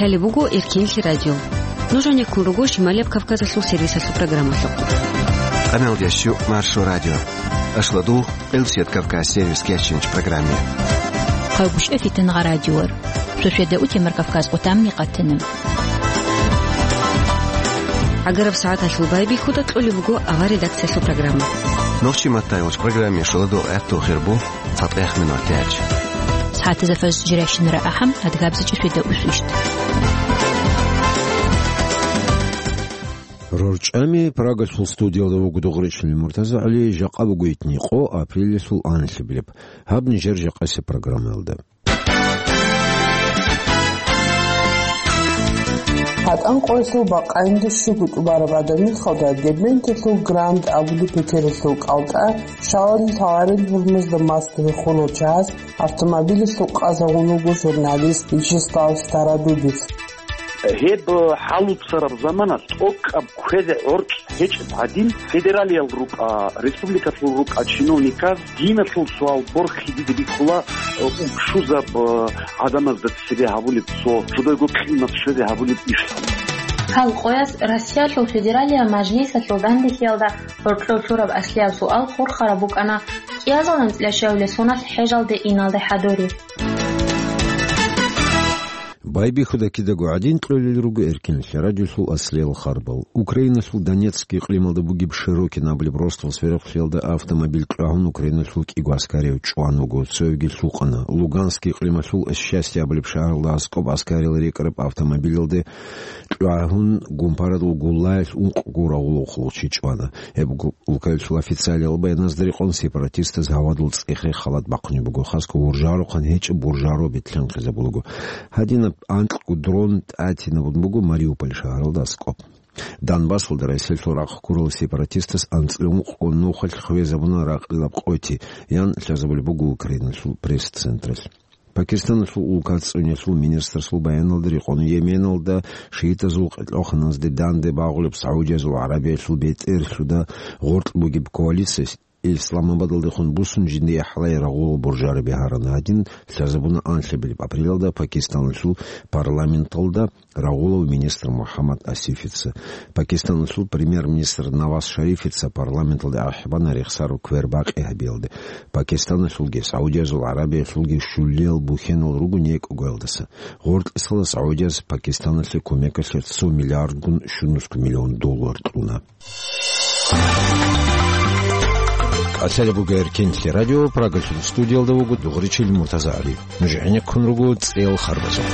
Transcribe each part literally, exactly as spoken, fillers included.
Лъалеб буго Эркенлъи радио. Нуж гьанеккун руго Шималияб Кавказалъул сервисалъул программалъухъ. Къамелдящу Маршо радио. Ашладул, Элсият Кавказ сервис кечинч программе. Хъайбушев Фитнагъа радиор. Сусведа утемар Кавказ отамни къатана. Агараб сагӀаталъул байбихьуда кьолеб буго авар редакциялъул программа. Нохчи маттайулч программе шуладул гӀатту хирбу. Цадахъ минут гьечӀ. СагӀатазда фажр жиращинара ахӀам, адгабзичӀи светаусвищ. РорчӀами Прагалъул студиялда вуго Дугъричилин МуртазагӀали, жакъа буго итни къо, апрелалъул анлъабилеб. Гьаб нижер жакъасеб программаялда. ГьатӀан къоялъул бакъаинда щуго тӀубараб гӀадамихалда Дербенталъул Гранд абулеб петералъул кӀалтӀа, шалал лъаларел гьурмузда маскаби хурал чагӀаз автомобилалъул къазагъун вуго журналист Вячеслав Стародубец. Гьеб хӀалуцараб замана тӀокӀаб кквезе гӀоркь гьечӀеб гӀадин, федералиял рукӀа, республикалъул рукӀа чиновниказ диналъул суал борхиде бихьула, э, учузаб, э, гӀадамазда цебе гьабулеб цо, жодойго къимат щвезе гьабулеб иш. Гьал къояз Россиялъул Федералиял Мажлисалъул данделъиялда гьоркьов лъураб аслияб суал хурхараб букӀана кӀиазул анцӀила щавлил соналъ хӀежалде иналде хӀадурив. Байбихьуда кидаго гӀадин кьолел руго Эркенлъи радиолъул аслиял харбал. Украиналъул Донецк икълималда бугеб Широкин абулеб росдал сверухълъиялда автомобиль кьвагьун Украиналъул кӀиго аскарияв чӀван вуго, цоявги лъукъана. Луганск икълималъул Счастье абулеб шагьаралда аскӀоб аскариял рекӀараб автомобилалде кьвагьун гумпарадул гуллаялъ ункъго рагъулав хъулухъчи чӀвана. Гьеб гу-, улкаялъул официалиял баяназда рекъон сепаратистаз гьавадул цӀехе халат бахъунеб буго, хасго гьуржарухъан гьечӀеб буржаро бетӀлъанхъизабулаго. Гьадинаб анкьго дрон тӀатинабун буго Мариуполь шагьаралда аскӀоб. Донбассалда Россиялъул рахъ ккурал сепаратистас анцӀила ункъго нухалъ хвезабуна ракьилаб къоти, ян лъазабулеб буго Украиналъул пресс-централъ. Пакистаналъул улкацӀцӀунелъул министрасул баяналда рекъон Йеменалда шиитазул къеркьоханазде данде багъулеб СагӀудиязул ГӀарабиялъул бетӀерлъуда гъоркь бугеб коалиция Исламабадалдехун бусун жинди гӀахӀлай рагъулал буржараби гьарана. Гьадин лъазабуна анлъабилеб апрелалда Пакистаналъул парламенталда рагъулав министр МухӀаммад Асифица. Пакистаналъул премьер-министр Наваз Шарифица парламенталде ахӀбана рехсараб квербакъи гьабиялде. Пакистаналъулги СагӀудиязул ГӀарабиялъулги щулиял бухьенал руго некӀогоялдаса. Гъоркьисала СагӀудияз Пакистаналъе кумекалъе цо миллиардгун щунусго миллион доллар кьуна. Асари буго Эркенлъи радио, Прагалъул студиялда вуго Дугъричил МуртазагӀали. Нуж гӀенеккун руго цӀел харбазухъ.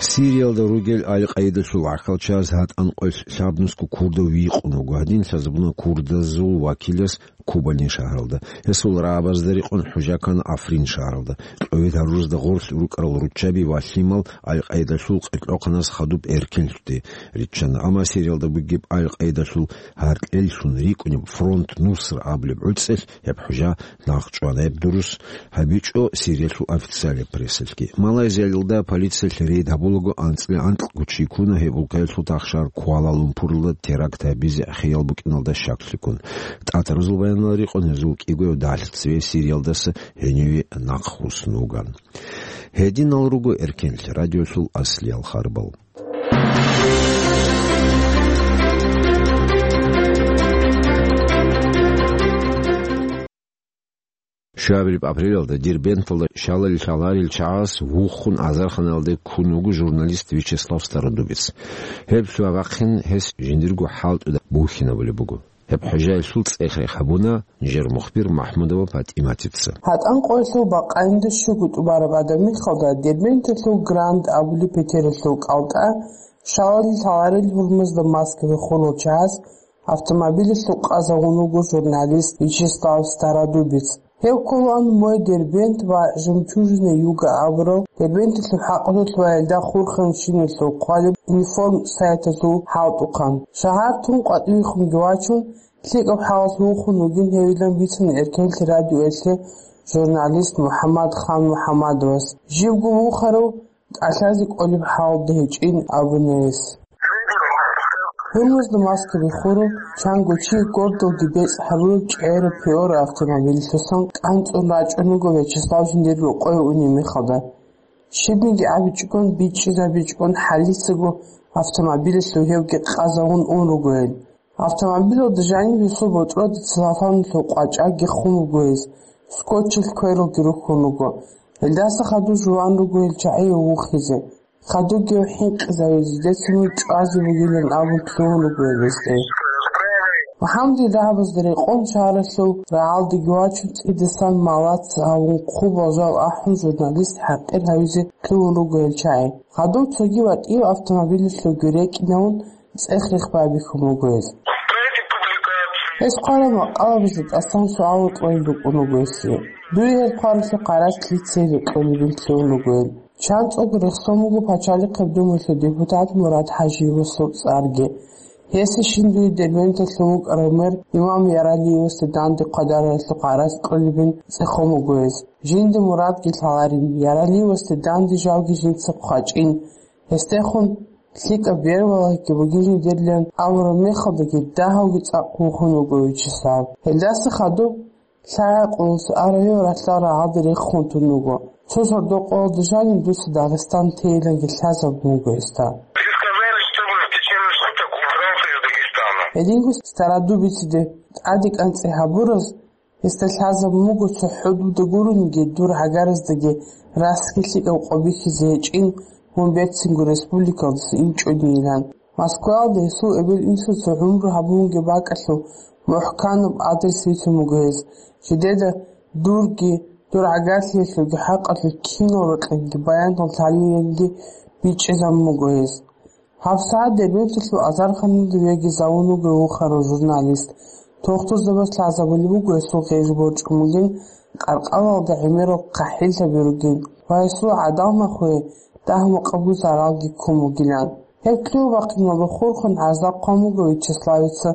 Сириялда ругел Аль-Къаидалъул гӀахьалчияз гьатӀан къоялъ лъабнусго курдав вихъун вуго. Гьадин лъазабуна курдазул вакилас Кубани шагьаралда. Гьесул рагӀабазда рекъон хӀужа ккана Африн шагьаралда. Кьовед гьарурузда гъорлъ рукӀарал руччаби ва лъимал Аль-Къаидалъул къеркьохъаназ хадуб Эркенлъуде риччана. Амма Сириялда бугеб Аль-Къаидалъул гьаркьеллъун рикӀкӀунеб фронт Нусра абулеб гӀуцӀелъ гьеб хӀужа нахъчӀвана. Гьеб дурус гьабичӀо Сириялъул официалияб прессалъги. Малайзиялда полициялъ рейд гьабулаго анцӀила анкьго чи ккуна гьеб улкаялъул тахшар Куала-Лумпуралда теракт гьабизе хиял букӀиналда щаклъиккун. ТӀатаразул баянал рекъон гьезул кӀигояв далъ цеве Сириялдаса гьениве нахъ хъуснуган. Гьединал руго Эркенлъи радиолъул аслиял харбал. Щуабилеб апрелалда Дербенталда шалал лъаларел чагӀаз вухун азарханалде ккун вуго журналист Вячеслав Стародубец. Гьеб лъугьа-бахъин гьес жиндирго хӀалтӀуда бухьинабулеб буго. Гьеб хӀужаялъул цӀех-рех гьабуна нижер мухбир Махмудова ПатӀиматица. ГьатӀан къоялъул бакъаинда щуго тӀубараб гӀадамихалда Дербенталъул Гранд абулеб петералъул кӀалтӀа, шалал лъаларел гьурмузда маскаби хурал чагӀаз автомобилалъул къазагъун вуго журналист Вячеслав Стародубец. Гьев кколаан мой Дербент ва Жемчужина Юга абурал Дербенталъул хӀакъалъулъ ва гьелда хурхараб щиналъул хъвалеб информ-сайтазул хӀалтӀухъан. Шагьар тун къватӀивехунги вачун, лъикӀаб хӀалалъ вухун вугин гьевилан бицана Эркенлъи радиоялъе журналист МухӀаммад Хан МухӀаммадовас. Живго вухарав тӀалъазе кӀолеб хӀалда гьечӀин абуна гьес. Гьурмузда маскаби хурав, чанго чи гордалги бецӀ гьабураб чӀегӀераб Приора автомобилалъусан кӀанцӀун рачӀун вуго Вячеслав жиндир рокъове унеб мехалда. Щибниги абичӀогон, бичӀчӀизабичӀогон хӀалицаго автомобилалъув гьевги къазавун ун руго гьел. Автомобилалда жаниб гьесул ботӀрода целлофаналъул къвачӀагги хун буго гьес, скотчалъ квералги рухьун руго. Гьелдаса хадув жуван руго гьел чагӀи вухизе. Хадув гьев хӀинкъизавизе, децин мун чӀвазе бугилан абун лъугьун руго гьесде. МухӀаммадил рагӀабазда рекъон шагьаралъул рагӀалдаги вачун, цӀидасан малац гьавун, хъубал жал ахӀун, журналист хӀакъир гьавизе лъугьун руго гьел чагӀи. Хадув цоги ватӀив автомобилалъувги рекӀинавун, цӀех-рех байбихьун буго гьез. Гьес хъварал макъалабазда тӀасан суал кьолел рукӀун руго гьесие. Дуе гьел хъваралъухъ гьаракь лъица гьеле кьолебин лъугьун руго гьел. ЧанцӀулго рехсон буго Пачалихъеб Думаялъул депутат Мурад ХӀажиевасул цӀарги. Гьесие щиб дуе Дербенталъул вукӀарав мэр Имам Яралиевасде данде хъвадаралъухъ гьаракь кьолебин цӀехон буго гьес. Жинда Мурадги лъаларин, Яралиевасде данде жалги жинца хъвачӀин. Гьесдехун лъикӀаб бербалагьиги бугин жидерлъан абураб мехалдаги дагьавги цӀакъ вухун вуго Вячеслав. Гьелдаса хадуб лъагӀа-къуллъи араб гьев ралъдал рагӀалде рехун тун вуго. Цо сордо-къоялда жаниб дуца Дагъистан тейиланги лъазабун вуго гьесда. Вы сказали, что вы в течение суток убрался из Дагестана. Гьединго Стародубициде тӀаде кӀанцӀи гьабураз гьесда лъазабун буго цохӀо дуда гурониги дур гӀагараздаги расги лъикӀаб къо бихьизе гьечӀин, мун берцинго республикалдаса инчӀодейилан. Москваялда гьесул эбел-инсуца гӀумру гьабунги бакӀалъул мухӀканаб адрес рицун буго гьес. Жидеда дурги, дур гӀагарлъиялъулги хӀакъалъулъ кинал рекьинги баянал лъалиланги бичӀчӀизабун буго гьес. ГьабсагӀат Дербенталъул азарханалда вегизавун вуго вухарав журналист. Тухтурзабаз лъазабулеб буго гьесул гъеж борчӀун бугин, къаркъалалда гӀемерал хъахӀиллъаби ругин ва гьесул гӀадамал нахуе дагь-макъабу заралги ккун бугилан. Гьеб лъугьа-бахъиналда хурхун гӀарза хъван буго Вячеславица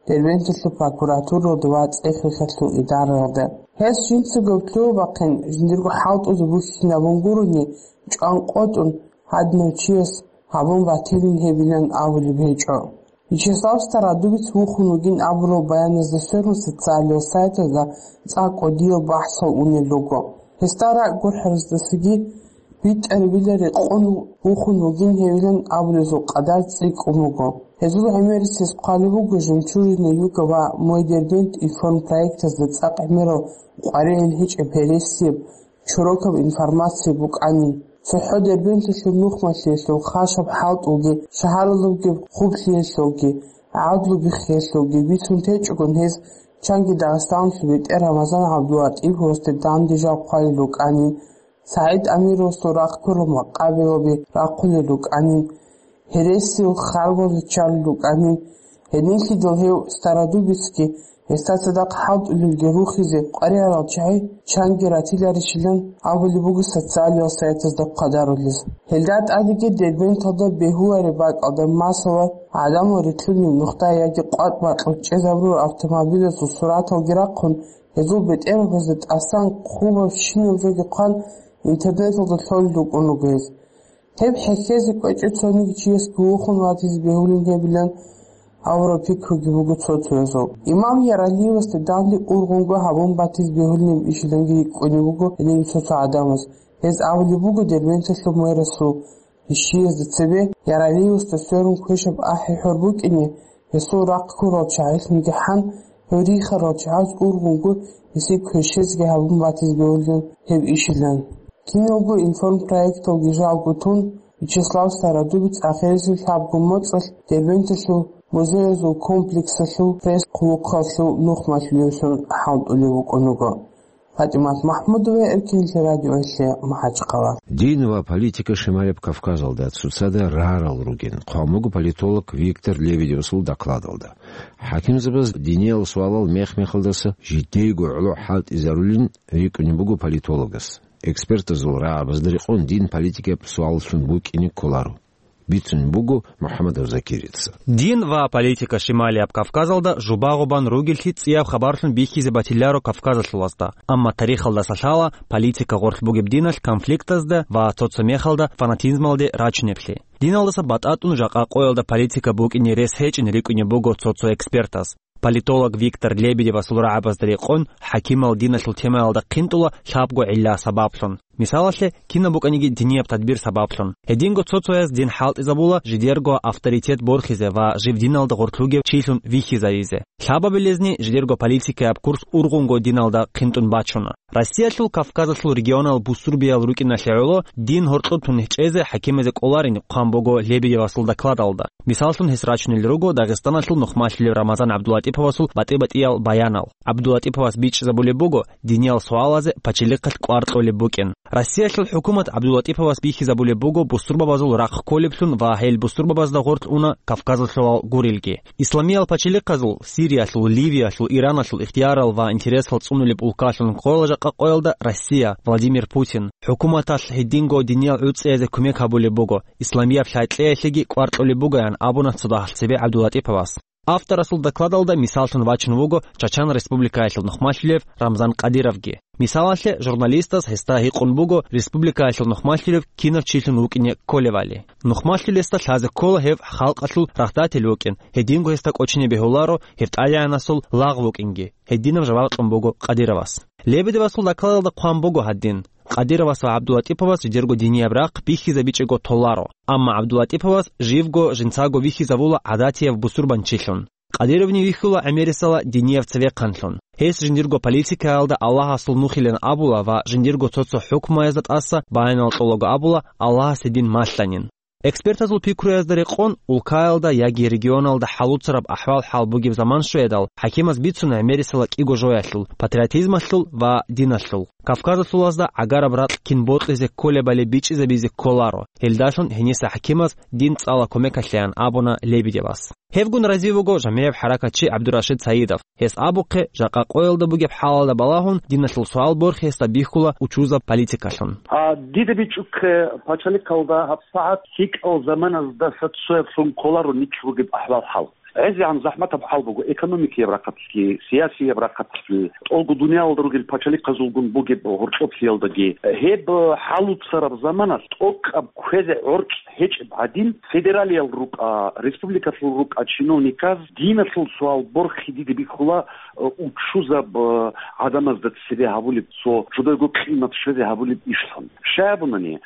Дербенталъул прокуратуралда ва цӀех-рехалъул идараялда. Гьес жинцаго лъугьа-бахъин жиндирго хӀалтӀузе бухьинабун гурони, чӀван къотӀун, гьадинав чияс гьабун батилин гьебилан абулеб гьечӀо. Вячеслав Стародубец вухун вугин абурал баяназда сверун социалиал сайтазда цӀакъ кӀудиял бахӀсал унел руго. Гьесда ракӀ гурхӀараздасаги битӀарабила рекъон вухун вугин гьевилан абулезул къадар цӀикӀкӀун вуго. Гьезул гӀемерисез хъвалеб буго Жемчужина Юга ва Мой Дербент информпроектазда цӀакъ гӀемерал къваригӀел гьечӀеб гьересияб чорокаб информация букӀанин. ЦохӀо Дербенталъул нухмалъиялъул хашаб хӀалтӀулги, шагьаралъулги хъублъиялъулги, гӀадлу биххиялъулги бицун течӀогон гьез чанги Дагъистаналъул бетӀер Рамазан ГӀабдулатӀиповасде данде жал хъвалел рукӀанин, СагӀид Амировасул рахъ ккурал макъабилаби рахъулел рукӀанин, гьересил харбалде чӀарал рукӀанин, гьединлъидал гьев Стародубецги гьесда цадахъ хӀалтӀулелги рухизе къваригӀарал чагӀи чанги ратиларищилан абулеб буго социалиал сайтазда хъвадарулез. Гьелда тӀадеги Дербенталда бегьулареб бакӀалда, масала, гӀадамал рилълъунеб нухда яги къватӀ бакьулъ чӀезабурал автомобилазул сураталги рахъун, гьезул бетӀергьабазда тӀасан хъубабщинаб жоги хъван, интернеталда лъолел рукӀун руго гьез. Гьеб хӀехьезе кӀвечӀев цониги чиясги вухун ватизе бегьулин гьебилан абураб пикруги буго цо-цоязул. Имам Яралиевасде данде ургъунго гьабун батизе бегьулин ишиланги рикӀкӀунеб буго гьедин цо-цо гӀадамаз. Гьез абулеб буго Дербенталъул мэрасул ишиязда цебе, Яралиевасда сверун квешаб ахӀи-хӀор букӀине, гьесул рахъ ккурал чагӀилъунги хӀан, гьев рихарал чагӀаз ургъунго гьесие квешезеги гьабун батизе бегьулин гьеб ишилан. Киналго информпроекталги жалго тун, Вячеслав Стародубец ахирисеб лъабго моцӀалъ Дербенталъул музеязул комплексалъул пресс-хъулухъалъул нухмалъулевлъун хӀалтӀулев вукӀун вуго. ПатӀимат МахӀмудова, Эркинлъи радиоялъе, МахӀачхъала. Дин ва политика шималаб Кавказалда цоцазда рарал ругин, хъван буго политолог Виктор Лебедевасул докладалда. ХӀакимзабаз диниял суалал мех-мехалдаса жидейго гӀоло хӀалтӀизарулин рикӀкӀунеб буго политологас. Экспертазул рагӀабазда рекъон дин политикаб суаллъун букӀине кколаро, бицун буго МухӀаммадов Закирица. Дин ва политика шималияб Кавказалда жубагъубан ругеллъи цӀияб хабарлъун бихьизе батиларо кавказалъулазда, амма тарихалдаса лъала политика гъорлъ бугеб диналъ конфликтазда ва цо-цо мехалда фанатизмалде рачунеблъи. Диналдаса батӀатӀун жакъа къоялда политика букӀине рес гьечӀин рикӀкӀунеб буго цо-цо экспертаз. Политолог Виктор Лебедевасул рагӀабазда рекъон, хӀакимал диналъул темаялда хъинтӀула лъабго гӀилла-сабаблъун. Мисалалъе, кинаб букӀаниги динияб тадбир сабаблъун. Гьединго цо-цояз дин хӀалтӀизабула жидерго авторитет борхизе ва жив диналда гъорлъ вугев чилъун вихьизавизе. Лъабабилезни жидерго политикаяб курс ургъунго диналда хъинтӀун бачуна. Россиялъул Кавказалъул регионал бусурбиял рукӀиналъе гӀоло дин гьоркьоб тун чӀезе хӀакимазе кӀоларин хъван буго Лебедевасул докладалда. Мисаллъун гьес рачунел руго Дагъистаналъул нухмалъулев Рамазан ГӀабдулатӀиповасул батӀи-батӀиял баянал. ГӀабдулатӀиповас бичӀчӀизабулеб буго динияб суалазе пачалихъалъ кӀвар кьолеб букӀин. Россиялъул хӀукумат ГӀабдулатӀиповас бихьизабулеб буго бусурбабазул рахъ кколеблъун ва гьел бусурбабазда гъорлъ уна Кавказалъулал гурелги. Исламиял пачалихъазул, Сириялъул, Ливиялъул, Ираналъул ихтиярал ва интересал цӀунулеб улкалъун ккола жакъа къоялда Россия, Владимир Путин. ХӀукуматалъ гьединго диниял гӀуцӀиязде кумек гьабулеб буго, исламияб лъай кьеялъеги кӀвар кьолеб бугоян абуна цо дагьалъ цебе ГӀабдулатӀиповас. Авторасул докладалда мисаллъун вачун вуго Чачан Республикаялъул нухмалъулев Рамзан Кадыровги. Мисалалъе, журналистас гьесда гьикъун буго республикаялъул нухмалъулев кинав чилъун вукӀине кколевали. Нухмалъулесда лъазе ккола гьев халкъалъул рагъдатил вукӀин, гьединго гьесда кӀочине бегьуларо гьев тӀадегӀанасул лагъ вукӀинги, гьединаб жаваб кьун буго Кадыровас. Лебедевасул докладалда хъван буго гьадин: Кадыровас ва ГӀабдулатӀиповас жидерго динияб рахъ бихьизабичӀого толаро. Амма ГӀабдулатӀиповас живго жинцаго вихьизавула гӀадатияб бусурбанчилъун. Кадыровни вихьула гӀемерисела динияб цевехъанлъун. Гьес жиндирго политикаялда Аллагьасул нухилан абула ва жиндирго цо-цо хӀукмаязда тӀаса баянал кьолаго абула Аллагьасе дин малъанин. Экспертазул пикруязда рекъон, улкаялда яги регионалда хӀалуцараб ахӀвал-хӀал бугеб заман щвеядал, хӀакимаз бицуна гӀемерисела кӀиго жоялъул: патриотизмалъул ва диналъул. Кавказалъулазда гӀагараб ракь кин бокьизе кколебали бичӀчӀизабизе кколаро. Гьелдалъун гьениса хӀакимаз дин цӀала кумекалъеян абуна Лебедевас. Гьевгун разив вуго жамигӀаб хӀаракатчи ГӀабдурашид Саидов. Гьес абухъе, жакъа къоялда бугеб хӀалалда балагьун, диналъул суал борхи гьесда бихьула учузаб политикалъун. А, дида бичӀухъе, пачалихъалда гьабсагӀат лъикӀал заманаздаса цояблъун кколаро нилъ бугеб ахӀвал-хӀал. ГӀезегӀан захӀматаб хӀал буго экономикияб рахъалъги, сиясияб рахъалъги, тӀолго дуниялалда ругел пачалихъазулгун бугеб гьоркьоблъиялдаги. Гьеб хӀалуцараб заманалъ тӀокӀаб кквезе гӀоркь гьечӀеб гӀадин, федералиял рукӀа, республикалъул рукӀа чиновниказ диналъул суал борхи дида бихьула, э, учузаб, э, гӀадамазда цебе гьабулеб цо жидерго къимат щвезе гьабулеб ишлъун. Щай абунани,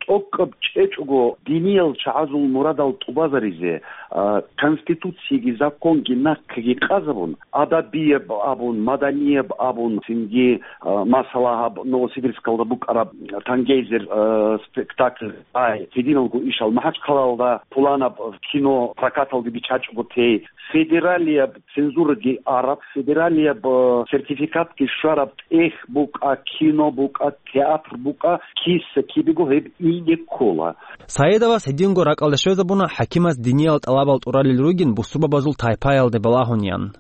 тӀокӀаб чӀечӀого диниял чагӀазул мурадал тӀубазаризе, э, конституцияги законги нахъеги къазабун, адабияб абун, маданияб абун, цинги, э, масала, гьаб Новосибирскалда букӀараб Тангейзер, э, спектакль, ай, гьединалго ишал МахӀачхъалаялда пуланаб кино прокаталде биччачӀого тей, федералияб цензураги араб, федералияб, э, сертификатги щвараб тӀехь букӀа, кино букӀа, театр букӀа, киса-кибего гьеб ине ккола. Саидовас гьединго ракӀалде щвезабуна хӀакимас диниял тӀалабал тӀуралел ругин бусурбабазул тайпаялде балагьуниян.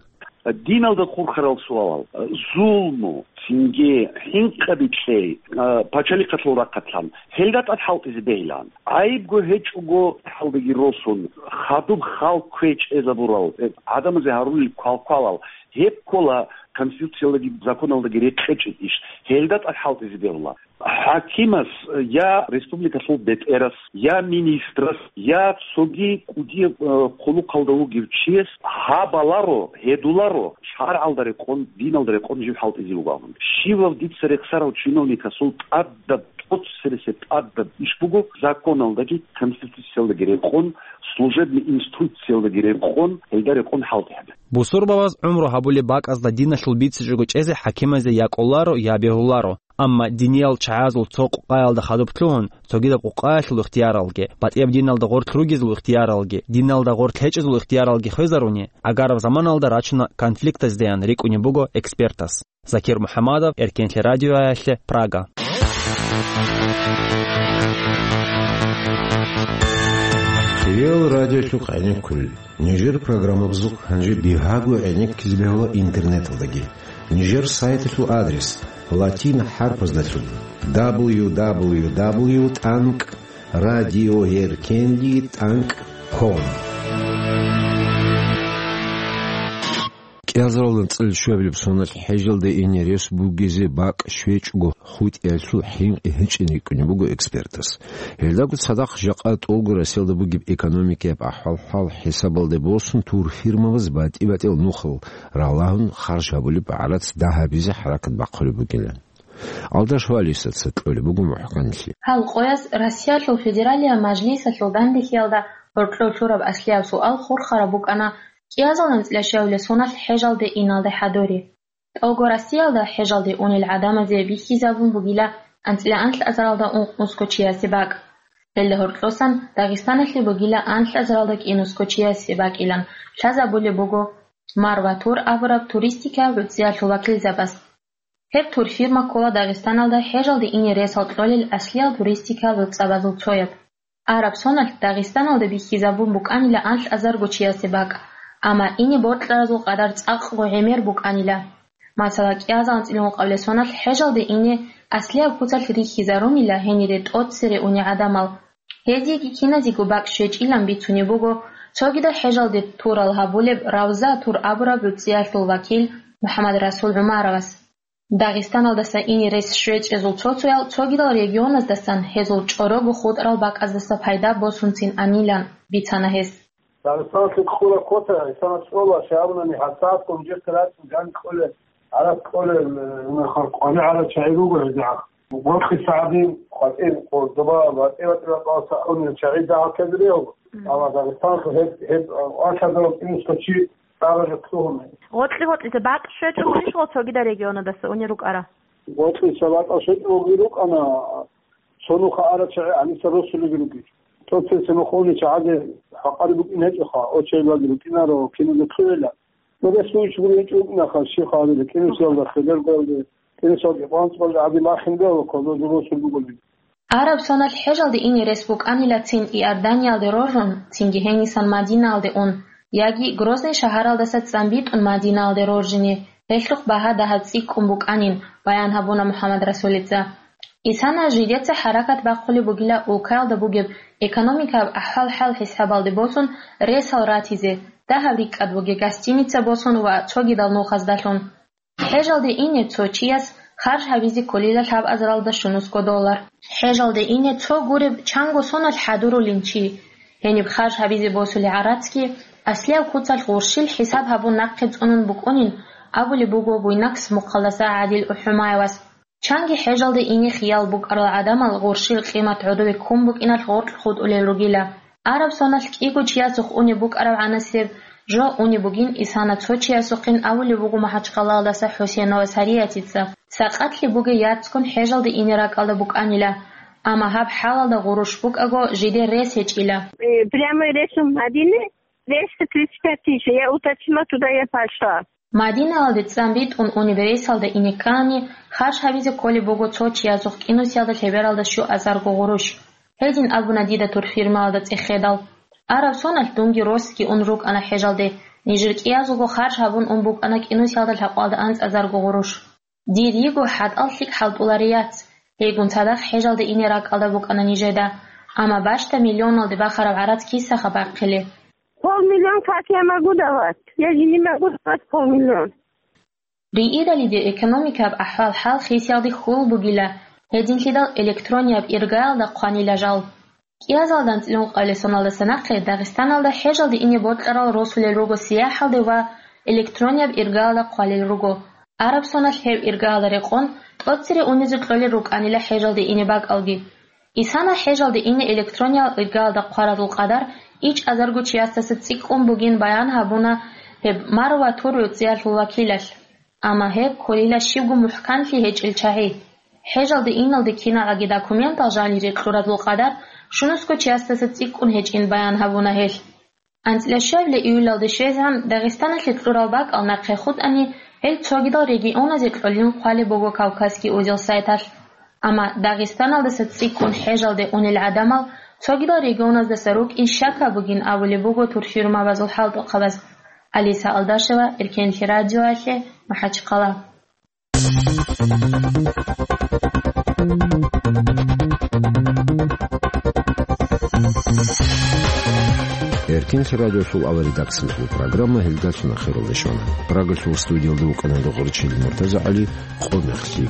Диналда хурхарал суалал, зулму, цинги хӀинкъаби кьей, а, пачалихъалъул рахъалъан, гьелда тӀад хӀалтӀизе бегьилан. ГӀайибго гьечӀого хӀалдаги росун, хадуб хал кквечӀезабурал, э, гӀадамазе гьарулел квалквалал, гьеб ккола Конституциялдаги законалдаги рекъечӀеб иш, гьелда тӀад хӀалтӀизе бегьула. ХӀакимас, я республикалъул бетӀерас, я министрас, я цоги кӀудияб, э, хъулухъалда вугев чияс гьабаларо, гьедуларо, шаргӀалда рекъон, диналда рекъон жив хӀалтӀизе вугеван. Щивав дица рехсарав чиновникасул тӀадаб, тӀоцересеб тӀадаб иш буго законалдаги конституциялдаги рекъон, служебный инструкциялдаги рекъон, гьелда рекъон хӀалтӀи гьабе. Бусурбабаз гӀумру гьабулеб бакӀазда диналъул бицичӀого чӀезе хӀакимазде я кӀоларо, я бегьуларо. Амма диниял чагӀазул цо къукъаялда хадуб лъугьун, цогидаб къукъаялъул ихтияралги, батӀияб диналда гъорлъ ругезул ихтияралги, диналда гъорлъ гьечӀезул ихтияралги хвезаруни, гӀагараб заманалда рачуна конфликтаздеян рикӀкӀунеб буго экспертас. Закир МухӀамадов, Эркенлъи радиоялъе, Прага. Хириял радиолъухъ гӀенеккулел. Нижер программабазухъ гьанже бигьаго гӀенеккизе бегьула интернеталдаги. Нижер сайталъул адрес латин хӀарпаздалъун: дабл ю дабл ю дабл ю тӀанкӀ радиоэркенлъи тӀанкӀ ком. КӀиазаралда анцӀила щуабилеб соналъ хӀежалде ине рес бугезе бакӀ щвечӀого хутӀиялъул хӀинкъи гьечӀин рикӀкӀунеб буго экспертас. Гьелдаго цадахъ жакъа тӀолго Россиялда бугеб экономикаяб ахӀвал-хӀал хӀисабалде босун, турфирмабаз батӀи-батӀиял нухал ралагьун харж гьабулеб гӀарац дагьабизе хӀаракат бахъулеб бугилан. Алдаш Валисаца кьолеб буго мухӀканлъи. Гьал къояс Россиялъул Федералияб Мажлисалъул данделъиялда гьоркьов лъураб аслияб суал хурхараб букӀана кӀиазул анцӀила щавила соналъ хӀежалде иналде хӀадури. ТӀолго Россиялда хӀежалде унел гӀадамазе бихьизабун бугила анцӀила анлъазаралда ункънусго чиясе бакӀ. Гьелда гьоркьосан Дагъистаналъе бугила анлъазаралда кӀинусго чиясе бакӀилан лъазабулеб буго Марва тур абураб туристикаб гӀуцӀиялъул вакилзабаз. Гьеб турфирма ккола Дагъистаналда хӀежалде ине ресал кьолел аслиял туристикал гӀуцӀабазул цояб. Араб соналъ Дагъистаналда бихьизабун букӀанила анлъазарго чиясе бакӀ, амма ине бокьаразул къадар цӀакъго гӀемер букӀанила. Масала, кӀиазал анцӀила ункъабилеб соналъ хӀежалде ине аслияб куцалъ рихьизарунила гьенире тӀоцере унел гӀадамал. Гьезиеги киназего бакӀ щвечӀилан бицунеб буго цогидал хӀежалде турал гьабулеб Равза тур абураб гӀуцӀиялъул вакил МухӀаммадрасул ГӀумаровас. Дагъистаналдаса ине рес щвечӀезул цо-цоял цогидал регионаздасан гьезул чӀорого хутӀарал бакӀаздаса пайда босунцин анилан бицана гьес. Дагъистаналъе ккура квота, гьесана цӀола, щай абунани, гьабсагӀат гьанже хирацин ган кьолел, гӀараб кьолел, э, нахъа къвани гӀараб чагӀи руго гьезигӀан. Гъоркьиса гӀадин, къватӀир, къо-, доба, ватӀи-ватӀи ракъалса унел чагӀи дагьаб ккезе бегьула. Мгм. Амма Дагъистаналъ гьеб, гьеб, а, анлъазарал кӀинусго чи Гъоркьи-гъоркьизе бакӀ щвечӀого иш гъо цогидал регионадаса унел рукӀара? Гъоркьиса бакӀал щвечӀого рукӀана, цо нуха арачагӀи гьаниса росулеги ругел. Цо-цо нуха унел чагӀазе хӀакъари букӀин гьечӀоха, очайлаги рукӀинаро, киназе кквела. Нурес вуйчӀ гуричӀ рукӀинаха, щихъ гьабила, кӀинусиялда, хилергоялде, кӀинусиялде къванцӀкъалде гьабил ахин бегьула, кодо росул буголи. Араб соналъ хӀежалде ине рес букӀанила цин Иорданиялде роржун, цинги гьенисан Мадинаялде ун, яги Грозный шагьаралдаса цӀамбитӀун Мадинаялде роржине, гьелъухъ багьа дагьаб цӀикӀкӀун букӀанин, баян гьабуна МухӀаммадрасулица. Исана жидеца хӀаракат бахъулеб бугила улкаялда бугеб экономикаб ахӀвал-хӀал хӀисабалде босун ресал ратизе, дагьаб рикӀкӀад бугеб гостиница босун ва цогидал нухаздалъун. ХӀежалде ине цо чияс харж гьабизе кколила лъабазаралда щунусго доллар. ХӀежалде ине цо гуреб чанго соналъ хӀадурулин чи. Гьениб харж гьабизе босулеб гӀарацги аслияв куцалъ гъурщил хӀисаб гьабун нахъе цӀунун букӀунин абулеб буго Буйнакск мухъалдаса ГӀадил ГӀухӀумаевас. Чанги хӀежалде ине хиял букӀарал гӀадамал гъурщил къимат гӀодове ккун букӀиналъ гъоркь хутӀулел ругила. Араб соналъ кӀиго чиясухъ унеб букӀарабгӀанасеб жо унеб бугин Исана цо чиясухъин абулеб буго МахӀачхъалаялдаса ХӀусейнова Сариятица. Сакъатлъи бугей яцгун хӀежалде ине ракӀалда букӀанила, амма гьаб хӀалалда гъурущ букӀаго жидер рес гьечӀила. Э, прямой рейсом гьадине, двести тридцать пять тысяч, я уточнила, туда я пошла. Мадинаялде цӀамбитӀун унеб рейсалда ине ккани, харж гьабизе кколеб буго цо чиясухъ кӀинусиялда лъебералда щуазарго гъурущ. Гьедин абуна дида турфирмаялда цӀехедал. Араб соналъ дунги росги ун рукӀана хӀежалде, нижер кӀиязулго харж гьабун ун букӀана кӀинусиялда лъабкъоялда анцӀазарго гъурущ. Дир йиго хӀатӀал лъикӀ хӀалтӀуларей яц, гьейгун цадахъ хӀежалде ине ракӀалда букӀана нижеда, амма бащда миллионалде бахараб гӀарац кисаха бахъилеб? Полмиллион как я могу давать? Я же не могу давать полмиллион. Риидалиде экономикаб ахӀвал-хӀал хисиялде хьул бугила, гьединлъидал электронияб иргаялда хъванила жал. КӀиазалда анцӀила ункъабилеб соналдаса нахъе Дагъистаналда хӀежалде ине бокьарал росулел руго сияхӀалде ва электронияб иргаялда хъвалел руго. Араб соналъ гьеб иргаялда рекъон тӀоцере унизе кьолел рукӀанила хӀежалде ине бакӀалги. Исана хӀежалде ине электрониял иргаялда хъваразул къадар ичӀазарго чиясдаса цӀикӀкӀун бугин баян гьабуна гьеб Марва тур гӀуцӀиялъул вакилалъ. Амма гьеб кколила щибго мухӀканлъи гьечӀел чагӀи. ХӀежалде иналде киналгӀаги документал жанире кьуразул къадар щунусго чиясдаса цӀикӀкӀун гьечӀин баян гьабуна гьелъ. АнцӀила щвабила июлалде щвезегӀан Дагъистаналъе кьурал бакӀал нахъе хутӀани, гьел цогидал регионазе кьолин хъвалеб буго Кавказский узел сайталъ. Амма Дагъистаналдаса цӀикӀкӀун хӀежалде унел гӀадамал цогидал регионаздаса рукӀин щакаб бугин абулеб буго турфирмабазул хӀалтӀухъабаз. Алиса Алдашева, Эркенлъи радиоялъе, МахӀачхъала. Эркенлъи радиосул аваридакциялъул программа гьелдалъун ахиралде щвана. Прагалъул студиялда вукӀана Догъорчил МуртазагӀали, къо мехлъи.